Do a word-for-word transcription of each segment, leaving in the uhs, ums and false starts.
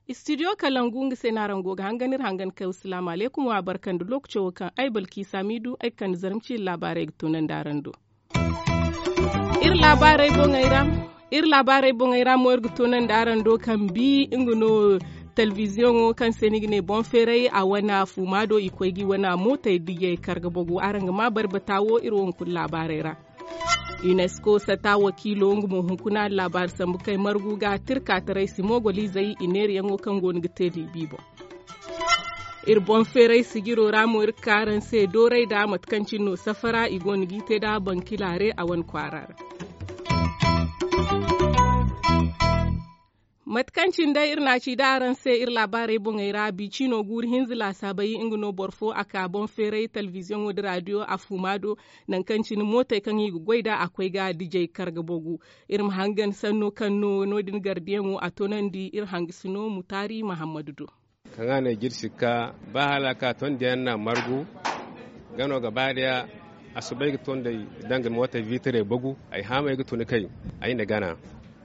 Istidiyo kalangu nga se no araŋ go ga hangan iri hangan kay wa salaamu alaykum wa barka nda lookaco wo kaŋ ay balki saamiidu ay ga kande zarma ciiri laabaarey ga toonandi araŋ do. Iri laabaarey boŋey ra mo iri ga toonandi araŋ do kambi nga no telebiziyoŋo kaŋ se ni ga ne boŋ feeray a wane fuuma do i koy ga i wane mootey dijey karga bagu araŋ ga ma bari bata wo iri wo hunkuna laabaarey ra. Unesco sata wakiilo nga mo hunkuna laabaari sambu kay margu ga tirkaataray si moogoliizey i neerayaŋo kaŋ go no ga te libi boŋ. Iri boŋ feeray sijiro ra mo iri ga ka araŋ se dooray nda mate kaŋ cine no safara i go no g'i te nda bankilaare a wane kwaara ra. Mate kaŋ cine day iri na a ci nda araŋ se iri laabaarey boŋey ra bi ciino guuru hinza laasaabey nga no boro fo a ka boŋ feeray telebiziyoŋo nda raadiyo a fuuma do. Nangu kaŋ cine mootey kaŋ i ga goy nd'a a koy ga dijey karga bagu. Iri ma hangan sanno kaŋ no no- din gardiyaŋo a toonandi iri hangasino mutaari mahammadu do. Kaŋ a ne jirsi ga ka ba hala a ka tondiyaŋ na margu. Gano gaba daya a soobay ga tondey danga mootey viitirey bagu. Ay haamay ga tun kay ay na gana.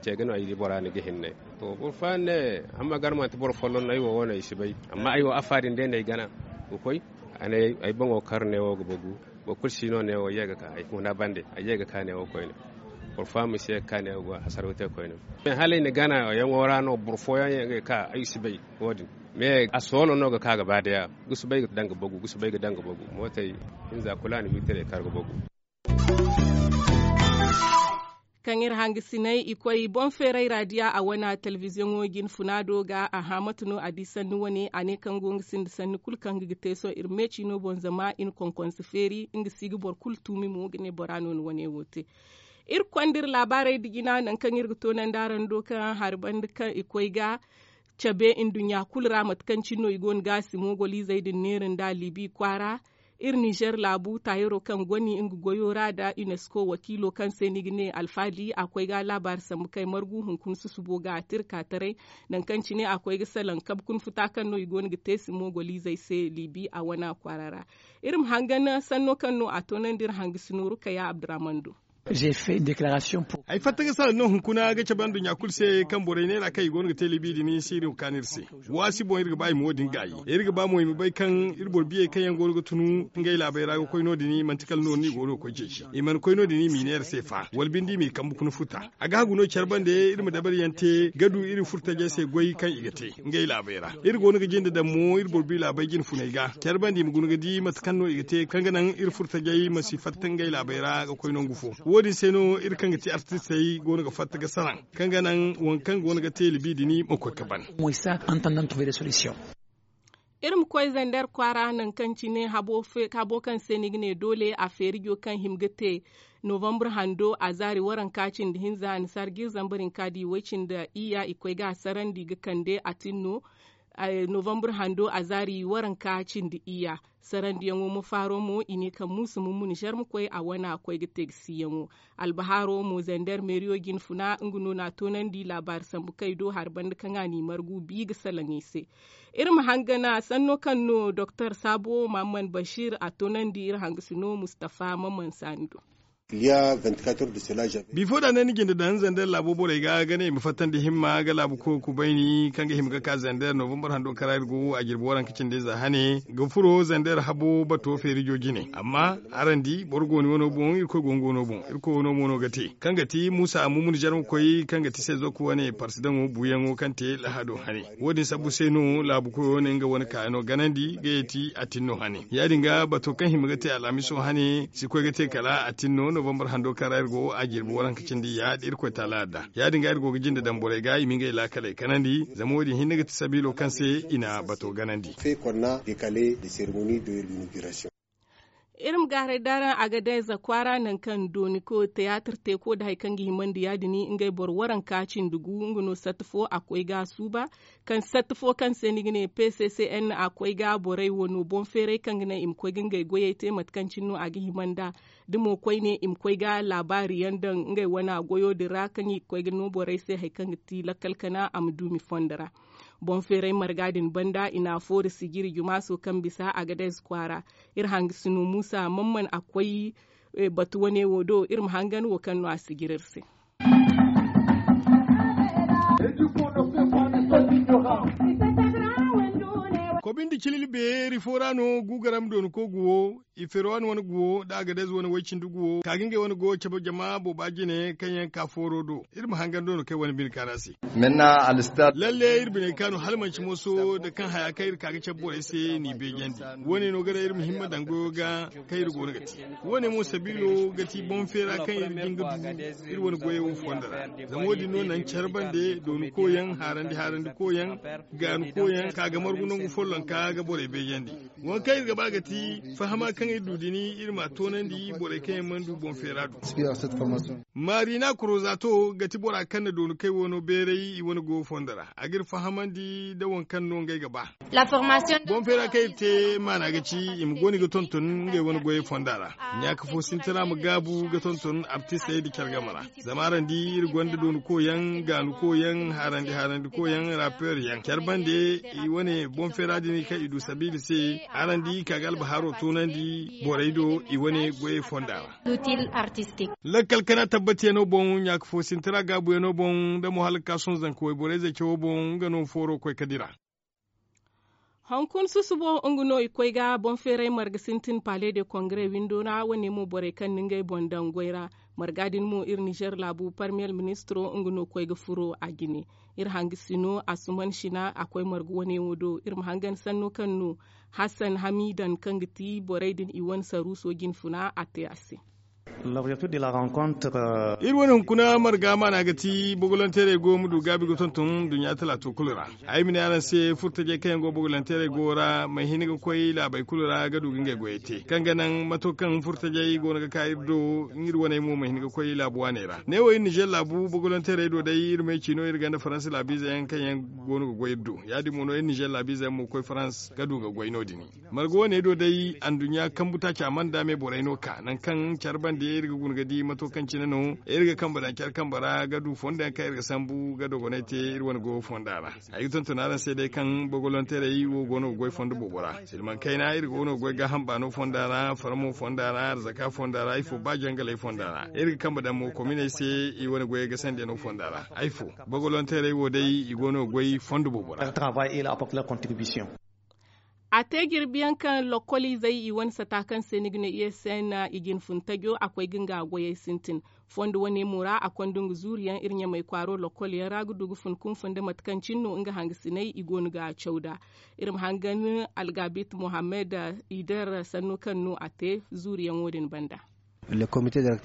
Ce ga no ay di bora ni ga hinne. To boro fooyaŋ ne, hamma gar manti boro folloŋ no ay wo wane ay si bay. Amma ay wo afa din day no ay gana ga koy. Ay boŋo kar neewo ga bagu. Boro kulu si no neewo ye ga ka ay huna bande ay ye ga ka neewo koyne. Boro fooyaŋ ma si ye ga ka neewo go hasaraw te koyne. Hala ay na gana yaŋo ra no boro fooyaŋ yaŋ ga ka ay si bay. Wo- din me a soono no ga ka gaba daya. Ga si bay ga danga bagu ga si bay ga danga bagu mootey hinza kulu a na wiitirey kar ga bagu. Kaŋ iri hangasinay i koy boŋ feeray raadiya a wane telebiziyoŋo jine funa do ga a haamatu no a di sanni wane a ne kaŋ go nga sinda sanni kulu kaŋ ga ga te sohõ iri meeci no boŋ zama i na konkonse feeri nga si ga boro kulu tuumi mo ga ne bora no ni wane wo te. Iri ga konda iri laabaarey nda jina nangu kaŋ iri ga toonandi araŋ do kaŋ hari banda kaŋ i koy ga cabe nduɲɲa kulu ra mate kaŋ cine no i go no ga a si moogoliizey din neera nda libi kwaara. Iri nizer laabu taayaro kaŋ goni nga goyo ra nda unesco wakiilo kaŋ se ni ga ne alfaali a koy ga laabaari sambu kay margu hunkuna susubo ga a tira ka taray. Nangu kaŋ cine a koy ga salaŋ kabe kuna futa kaŋ no i go no ga te si moogoliizey se libi a wana kwaara ra. Iri ma hangan sanno kaŋ no a toonandi iri hangasino rukaya abdurahman do. Ay fatta ga salaŋ no hunkuna ga cabe nduɲɲa kulu se kaŋ borey neera kaŋ i go no ga te libi din si iri ga kaanu iri se. Waasi boŋ iri ga ba i ma wo- din gaayi iri ga ba mo i ma bay kaŋ iri boro biyey kaŋ yaŋ go no ga tunu ngey laabey ra ga koy no- din manti kala no- din i go no ga koy ceeci i mana koy no- din i m'i ne iri se fa wala binde i m'i kambe kuna futa. A ga hagu no care bande iri ma dabari yaŋ te ga du iri furtajey se goy kaŋ i ga te ngey laabey ra. Iri go no ga jinde daŋ mo iri boro biyo laabey jine funey ga care bande i ma guna ga di mate kaŋ no i ga te kaŋ ga naŋ iri furtajey ma si fatta ngey laabey ra ga koy nangu fo. Wo- din se no iri kaŋ ga ti artistey go no ga fatta ga salaŋ kaŋ ga naŋ waŋ kaŋ go no ga te libi din ma koy ga ban. Iri ma koy zander kwaara nangu kaŋ cine habo kaŋ se ni ga ne doole a feerijo kaŋ hima ga te novambre hando a zaari waranka cindi hinza annasaara jiiri zambar hinka da i way cindi iyya i koy ga a sarandi ga kande a tin no. Novambre hando a zaari waranka cindi iyya sarandiyaŋo ma faaro mo i ne kaŋ muusu mummu nizer ma koy a wane a koy ga te ga siiyaŋo. Albahaaro mo zander meeriyo jine funa nga no na a toonandi laabaari sambu kay do hari banda kaŋ a n'i margu bi ga salaŋ i se. Iri ma hangana sanno kaŋ no doktor saabo maman bashir a toonandi iri hangasino mustafa maman saani do. Bifo da ne ni jinde daŋ zander laabo borey ga ga ne i ma fattandi himma ga laabu koy ga kubayni kaŋ ga hima ga ka zander novambar hando kaŋ ra iri go a jirbi waranka cindi ize hane ga furo zander habo bato feerijo jine amma araŋ di boro go ni wano boŋ irkoy go nga wano boŋ irkoy wano mo no ga te kaŋ ga ti muusa amumun zarma koy kaŋ ga ti sezoku wane parsidaŋo buuyaŋo kaŋ te lahado hane. Wo- din sabbu se no laabu koyo ne nga wane kaayano ganandi ga yeti a tin no hane ya- din ga bato kaŋ hima ga te alhamiso hane si koy ga te kala a tin no novambar hando kaŋ ra iri go a jirbi waranka cindi ya da irkoy taala adda ya- din ga iri go ga jinde daŋ borey ga i ma ngey laakaley kanandi zama wo- din hinne ga ti sabiilo kaŋ se i na bato ganandi. Iri ma gaaray da araŋ a ga day za kwaara nangu kaŋ dooni ko tiyaatir te ko nda hari kaŋ ga himandi ya- din ngey boro waranka cindi gu nga no satta fo a koy ga a suuba. Kaŋ satta fo kaŋ se ni ga ne p c c n a koy ga borey wano boŋ feeray kaŋ ga naŋ i ma koy ga ngey goyey te mate kaŋ cine no a ga hima nd'a. Da mo koyne i ma koy ga laabaari yaŋ daŋ ngey wana goyo din ra kaŋ i ga koy ga no borey se hari kaŋ ga ti lakkal kana a ma duumi fondo ra. Boŋ feeray marga din banda i n'a foori sijiri jumaaso kaŋ bisa agadez kwaara. Iri hangasino muusa mamman a koy batu wane wo do iri ma hangan wo kaŋ no a sijiri iri se. Kobi nda cilili beeri fo ra no guugaram doonako guwo, i ferowan wane guwo nda agadez wane woy-cindi guwo ka ga ngey wane goyo cabe jama booba jine kaŋ yaŋ ka fooro do. Iri ma hangan do no kaŋ ay wane bine kaanu a se. Lalle iri biney kaanu hala manci mooso nda kaŋ haya kaŋ iri ka ga cabe borey se n'i beejandi. Wo- ne no ga naŋ iri ma himma daŋ goyo ga kaŋ iri go no ga te. Wo- ne mo sabiilo ga ti boŋ feera kaŋ iri jin ga du iri wane goyey wo fondo ra. Zama wo- din no naŋ care bande dooni koyaŋ haarandi haarandi koyaŋ, gaani koyaŋ ka ga margu nangu follonka ga borey beejandi. Waŋ kaŋ iri ga ba ga ti fahama kaŋ iri du din iri m'a toonandi borey kaŋ yaŋ mana du boŋ feera do. Maarina korozato ga ti bora kaŋ na dooni kay wano beeray i wane goyo fondo ra a ga iri fahamandi nda waŋ kaŋ no ngey ga ba. Boŋ feera kaŋ iri te maana ga ci i ma gooni ga tonton ngey wane goyey fonda ra. Ɲaaka fo sintina ma gaabu ga tonton artistey nda care game ra. Zama araŋ di iri gonda dooni koyaŋ gaanu koyaŋ haarandi haarandi koyaŋ rapeer yaŋ care bande i wane boŋ feera din kaŋ i du sabiila se. Araŋ di ka ga albaharo toonandi borey do i wane goyey fonda ra. Lakkal kana tabbatiyano boŋ ɲaaka fo sintina gaabuyano boŋ nda mo hala ga ka sohõ zanka wayborey zey cawo boŋ nga no fooro koy ka dira. Hunkuna susubo nga no i koy ga boŋ feeray marga sintin pale de kongre windo ra wane mo borey kaŋ na ngey boŋ daŋ goy ra. Marga din mo iri nizer laabu parmiyer ministiro nga no koy ga furo a jine. Iri hangasino asuman sina a koy marga wane wo do iri ma hangan sanno kaŋ no hassan hamidan kaŋ ga ti borey din i wane saruuso jinfuna a te a se. Iri wane hunkuna marga maana ga ti bogolanteerey go ma du gaabi ga tonton duɲɲa talaato kulu ra. Ay ma ne araŋ se furtajey kaŋ yaŋ go bogolanteerey go ra ma hin ga koy laabey kulu ra ga du ga ngey goyey te kaŋ ga naŋ mato kaŋ furtajey go no ga ka iri do. Iri waney mo ma hin ga koy laabu waaney ra ne wo iri nizer laabu bogolanteerey do day iri ma ay ci no iri gonda faransa laabiize yaŋ kaŋ yaŋ go no ga goy iri do ya- din mo no iri nizer laabiize yaŋ mo ga koy faransa ga du ga goy no- din. Marga wane do day anduɲɲa kambu taaci a mana daame borey no ka nangu kaŋ care bande iri ga guna ga di mato kaŋ cine no iri ga kambe daŋ care kambe ra ga du fondo yaŋ kaŋ iri ga sambu ga dogonay te iri wane goyo fonda ra. Ay ga tonton araŋ se day kaŋ bogolonteerey wo go no ga goy fondo boobo ra silmaŋ kayna iri go no ga goy gaaham baano fonda ra farmo fonda ra arzaka fonda ra ifo ba jangaley fonda ra iri ga kambe daŋ mo kominey se i wane goyey ga sandiyano fonda ra ay fo. Bogolonteerey wo day i go no ga goy fondo boobo ra. A te jirbi yaŋ kaŋ lokoliizey i wane sata kaŋ se ni ga ne u s n i jinfun tajo a koy ga nga goyey sintin. Fondo wane mo ra a konda nga zuuri yaŋ iri ɲamay kwaaro lokol yaŋ ra ga du ga fun kunfun nda mate kaŋ cine no nga hangasiney i go no ga caw nd'a. Iri ma hangan algabit mohammed, i der sanno kaŋ no a te zuuri yaŋo din banda.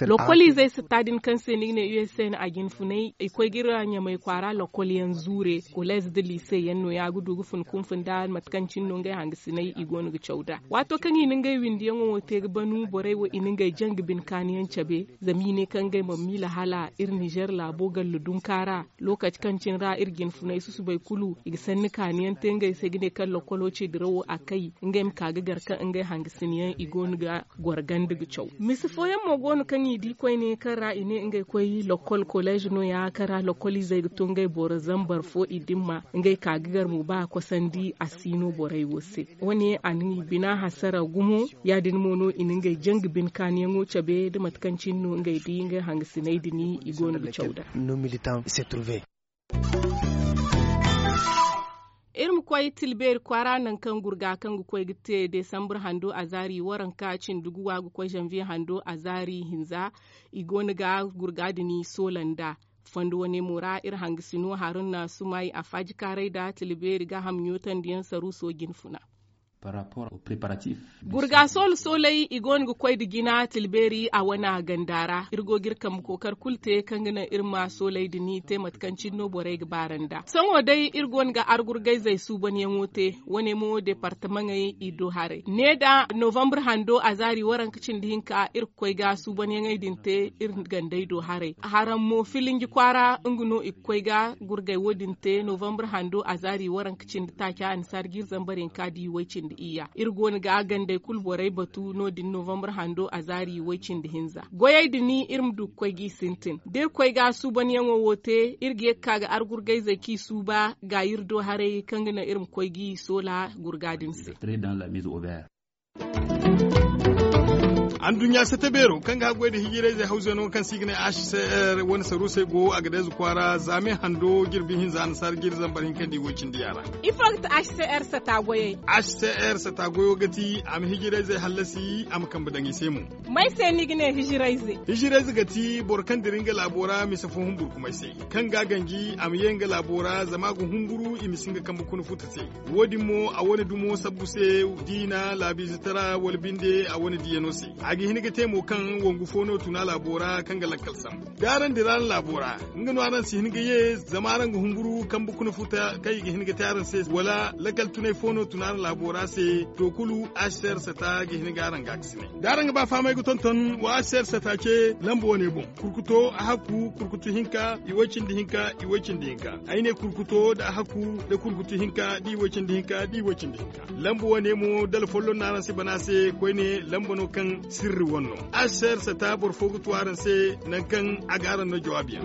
Lokoliizey sata din kaŋ se ni ga ne u s n a jinfunay i koy ga iri ɲamay kwaara lokol yaŋ zuure, koleez nda liise yaŋ no- ya ga du ga fun kunfun nda mate kaŋ cine no ngey hangasiney i go no ga caw nd'a. Waato kaŋ i na ngey windiyaŋo wo te ga banu borey wo i na ngey jaŋ ga bine kaani yaŋ cabe. Zama i ne kaŋ ngey mana miila hala iri nizer laabo galla dunka ra. Lookaci kaŋ cine ra iri jinfunay susubay kulu i ga sanni kaani yaŋ te ngey se ga ne kaŋ lokolo ce dirawo a kay ngey ma ka ga gar kaŋ ngey hangasin yaŋ i go no ga goro ganda ga caw. Mise fooyaŋ mo go no kaŋ i di koyne kaŋ ra i ne ngey koy lokol koleez no- ya kaŋ ra lokoliizey ga to ngey boro zambar fo i dimma ngey ka ga gar mo ba a kosandi a si no borey wo se. Wo- ne a na i bina hasara gumo. Ya- din mo no i na ngey jaŋ ga bine kaaniyaŋo cabe nda mate kaŋ cine no ngey di ngey hangasiney din i go no ga caw nd'a. Iri ma koy tilbeeri kwaara nangu kaŋ gurga kaŋ ga koy ga te desambar hando azaari waranka cindi guwa ga koy zanviye hando azaari hinza. I go no ga gurga din soola nd'a. Fondo wane mo ra iri hangasino haruna sumay a faaji kaaray nda tilbeeri gaaham ɲootandi yaŋ saruuso jinfuna. Gurga soolu sooley i go no ga koy nda jina tilbeeri a wana ganda ra iri go ga iri kambe kookari kulu te kaŋ ga naŋ iri ma sooley din te mate kaŋ cine no borey ga baara nd'a sohõ day iri go no ga argurgayzey suubanyaŋo te. Wane mo departamaŋey i do haray ne nda novambar hando azaari waranka cindi hinka iri ga koy ga suubanyaŋey din te. Iri gandey do haray haraŋ mo filinji kwaara nga no i ga koy ga gurgay wo- din te novambar hando azaari waranka cindi taaca annasaari ga iri zambar hinka di way cindi. Iyya iri go no ga gandey kulu borey batu no- din novambar hando a zaari way cindi hinza goyey din iri ma du ga koy g'i sintin da iri koy ga suubanyaŋo wo te iri ga ye ga ka ga argurgayzey kaŋ i suuba ga iri do haray kaŋ ga naŋ iri ma koy g'i soola gurga din se. Anduɲɲa sata beero kaŋ ga haggoy nda hijirayzey hawzey no kaŋ se i ga ne h c r wane saruusey go a ga deeza kwaara zaame hando jirbi hinza annasaara jiiri zambar hinka nda i way cindi yaara. Ifo ga ti h c r sata goyey? H c r sata goyo ga ti a ma hijirayzey hallasi a ma kambe daŋ i se mo. May se ni ga ne hijirayze? Hijirayze ga ti boro kaŋ dira nga laabo ra mise fo humburkumay se, kaŋ ga a ganji a ma ye nga laabo ra zama a ga humburu i ma si nga kambe kuna futa se. Wo- din mo a wane dumo sabbu se, diina laabiizatara wala binde a wane diyano se. A ga hin ga te mo kaŋ wangu fo no tuna laabo ra kaŋ ga lakkal sambu da araŋ dira araŋ laabo ra, nga no araŋ si hin ga ye zama araŋ ga humburu kambe kuna futa kaŋ i ga hin ga te araŋ se wala lakkal tunay fo no tuna araŋ laabo ra se. To kulu, aser sata ga hin ga araŋ ga a ga si ne da araŋ ga ba fahamay ga tonton wa aser sata ce lamba wane boŋ. Kurkuto a hakku kurkutu hinka i way cindi hinka i way cindi hinka. Ay ne kurkuto nda a hakku nda kurkutu hinka da i way cindi hinka da i way cindi hinka. Lamba wane mo dala folloŋ no araŋ si bana se koyne lamba no kaŋ sirri wane no. Aser sata boro fo ga tu araŋ se nangu kaŋ a ga araŋ no jawaabiyaŋ.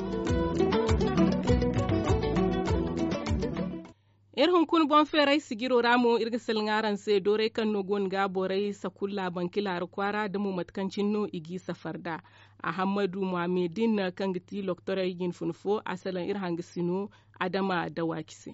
Iri hunkuna boŋ feeray sijiro ra mo iri ga salaŋ araŋ se dooray kaŋ no go no ga borey sakulla bankila ra kwaara da mo mate kaŋ cine no i g'i safar nd'a. Ahammadu muhammedin kaŋ ga ti loktorey jinfuna fo a salaŋ iri hangasino adama dawaaki se.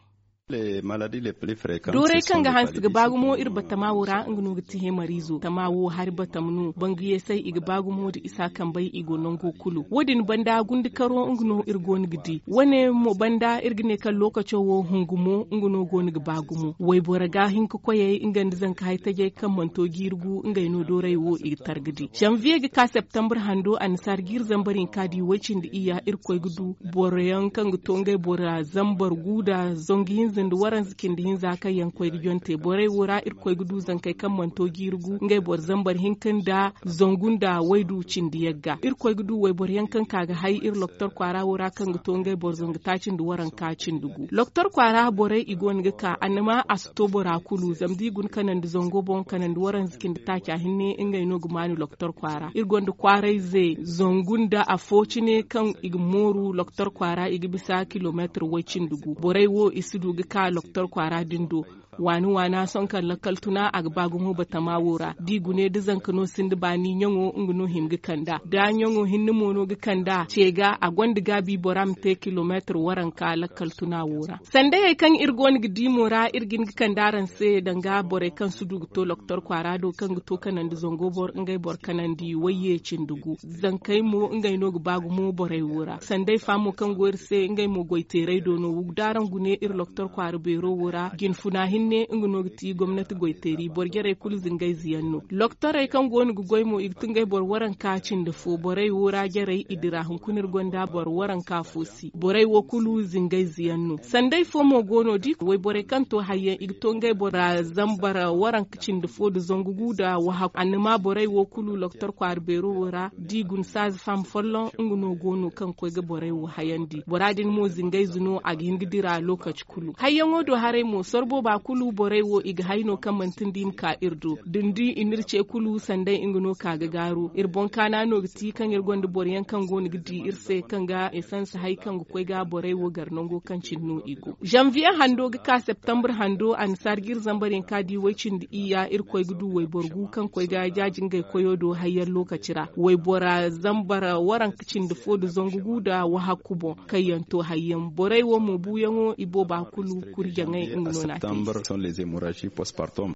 Dooray kaŋ ga hanse ga ba gumo iri batama wo ra nga no ga ti hemariizo tama wo hari batama no bangu yeesay i ga ba gumo nda isa kambey i go nango kulu wo- din banda gundikaro nga no iri go no ga di wane mo banda iri ga ne kaŋ lookaco wo hungu mo nga no go no ga ba gumo wayboro ga hin ga koyey nga nda zanka hari tajey kaŋ mana to jiiri gu ngey no dooray wo i ga tar ga di zanviye ga ka septembre hando annasaara jiiri zambar hinka da i way cindi iyya iri koy ga du boro yaŋ kaŋ ga to ngey bora zambar gu nda zangu hinza nda waranza cindi hinza kaŋ yaŋ koy ga jonte borey wo ra iri koy ga du zankey kaŋ mana to jiiri gu ngey boro zambar hinka nda zangu nda waydu cindi yagga iri koy ga du wayboro yaŋ kaŋ ka ga hay iri loktor kwaara wo ra kaŋ ga to ngey boro zangu taaci nda waranka cindi gu loktor kwaara borey i go no ga ka annama a si to bora kulu zama da i guna kanandi zango boŋ kanandi waranza cindi taaca hinne ngey no ga maanu loktor kwaara iri gonda kwaarayze zangu nda afo cine kaŋ i ga mooru loktor kwaara i ga bisa kilomeetir way cindi gu borey wo i si du ga ka loktor kwaara din do. Waani waana sohõ kaŋ lakkal tuna a ga ba gumo batama wo ra da i gune da zanka no sinda baani ɲaŋo nga no hima ga kand'a da ɲaŋo hinne mo no ga kand'a ce ga a gonda gaabi bora ma te kilomeetir waranka lakkal tuna wo ra. Sanday hari kaŋ iri go no ga di mo ra iri ga hin ga kande araŋ se danga borey kaŋ si du ga to loktor kwaara do kaŋ ga to kanandi zango boro ngey boro kanandi wayye cindi gu zankey mo ngey no ga ba gumo borey wo ra sanday fa mo kaŋ go iri se ngey mo goyteeray do no da araŋ gune iri loktor kwaara beero wo ra jinfuna hinne nga no ga ti gomnati goyteeri boro jarey kulu zingayze yaŋ no loktorey kaŋ go no ga goy mo i ga tun ngey boro waranka cindi fo borey wo ra jarey i dira hunkuna iri gonda boro waranka fo si borey wo kulu zingayze yaŋ no sanday fo mo go no da i wayborey kaŋ to hayyaŋ i ga to ngey bora zambar waranka cindi fo nda zangu gu nda wahakku annama borey wo kulu loktor kwaara beero wo ra da i guna saaza faham folloŋ nga no go no kaŋ ga koy ga borey wo hayandi bora din mo zingayze no a ga hin ga dira lookaci kulu hayyaŋo do haray mo soro booba kulu borey wo i ga hay no kaŋ manti nda i ma ka iri do da ni di i n'iri ce kulu sanday nga no ka ga gaaru iri boŋ kaana no ga ti kaŋ iri gonda boro yaŋ kaŋ go no ga di iri se kaŋ ga esans hay kaŋ ga koy ga borey wo gar nango kaŋ cine no i go zanviye hando ga ka septembre hando annasaara ga iri zambar yaŋ ka di way cindi iyya iri koy ga du wayboro gu kaŋ koy ga jaaji ngey koyo do hayyaŋ lookaci ra waybora zambar waranka cindi fo nda zangu gu nda wahakku boŋ kaŋ yaŋ to hayyaŋ borey wo mo buuyaŋo i booba kulu kurjaŋey nga no na te i se.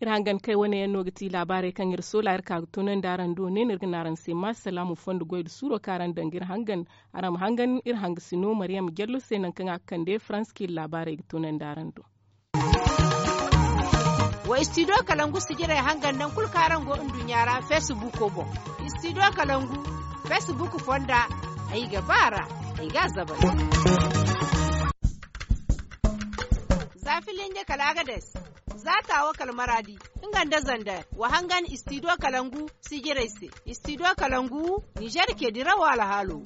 Iri hangan kay wane yaŋ no ga ti laabaarey kaŋ iri soola iri ka ga tunandi araŋ do ne no iri ga ne araŋ se ma salaamu fondo goy nda suuro kaŋ araŋ daŋ ga iri hangan araŋ ma hangan iri hangasino mariyam jallo se nangu kaŋ a ga kande faransa kaŋ iri laabaarey ga tunandi araŋ do. Wa istidiyo kalangu sijirey hangan nangu kulu kaŋ araŋ go nduɲɲa ra feesibuuko boŋ. Istidiyo kalangu feesibuuko fonda ay ga ba a ra ay ga a zabay. Za filinje kala agades za taawo kala maraadi nga nda zander wa hangan istidiyo kalangu sijirey se. Istidiyo kalangu nizer ke dirawo alhaalo.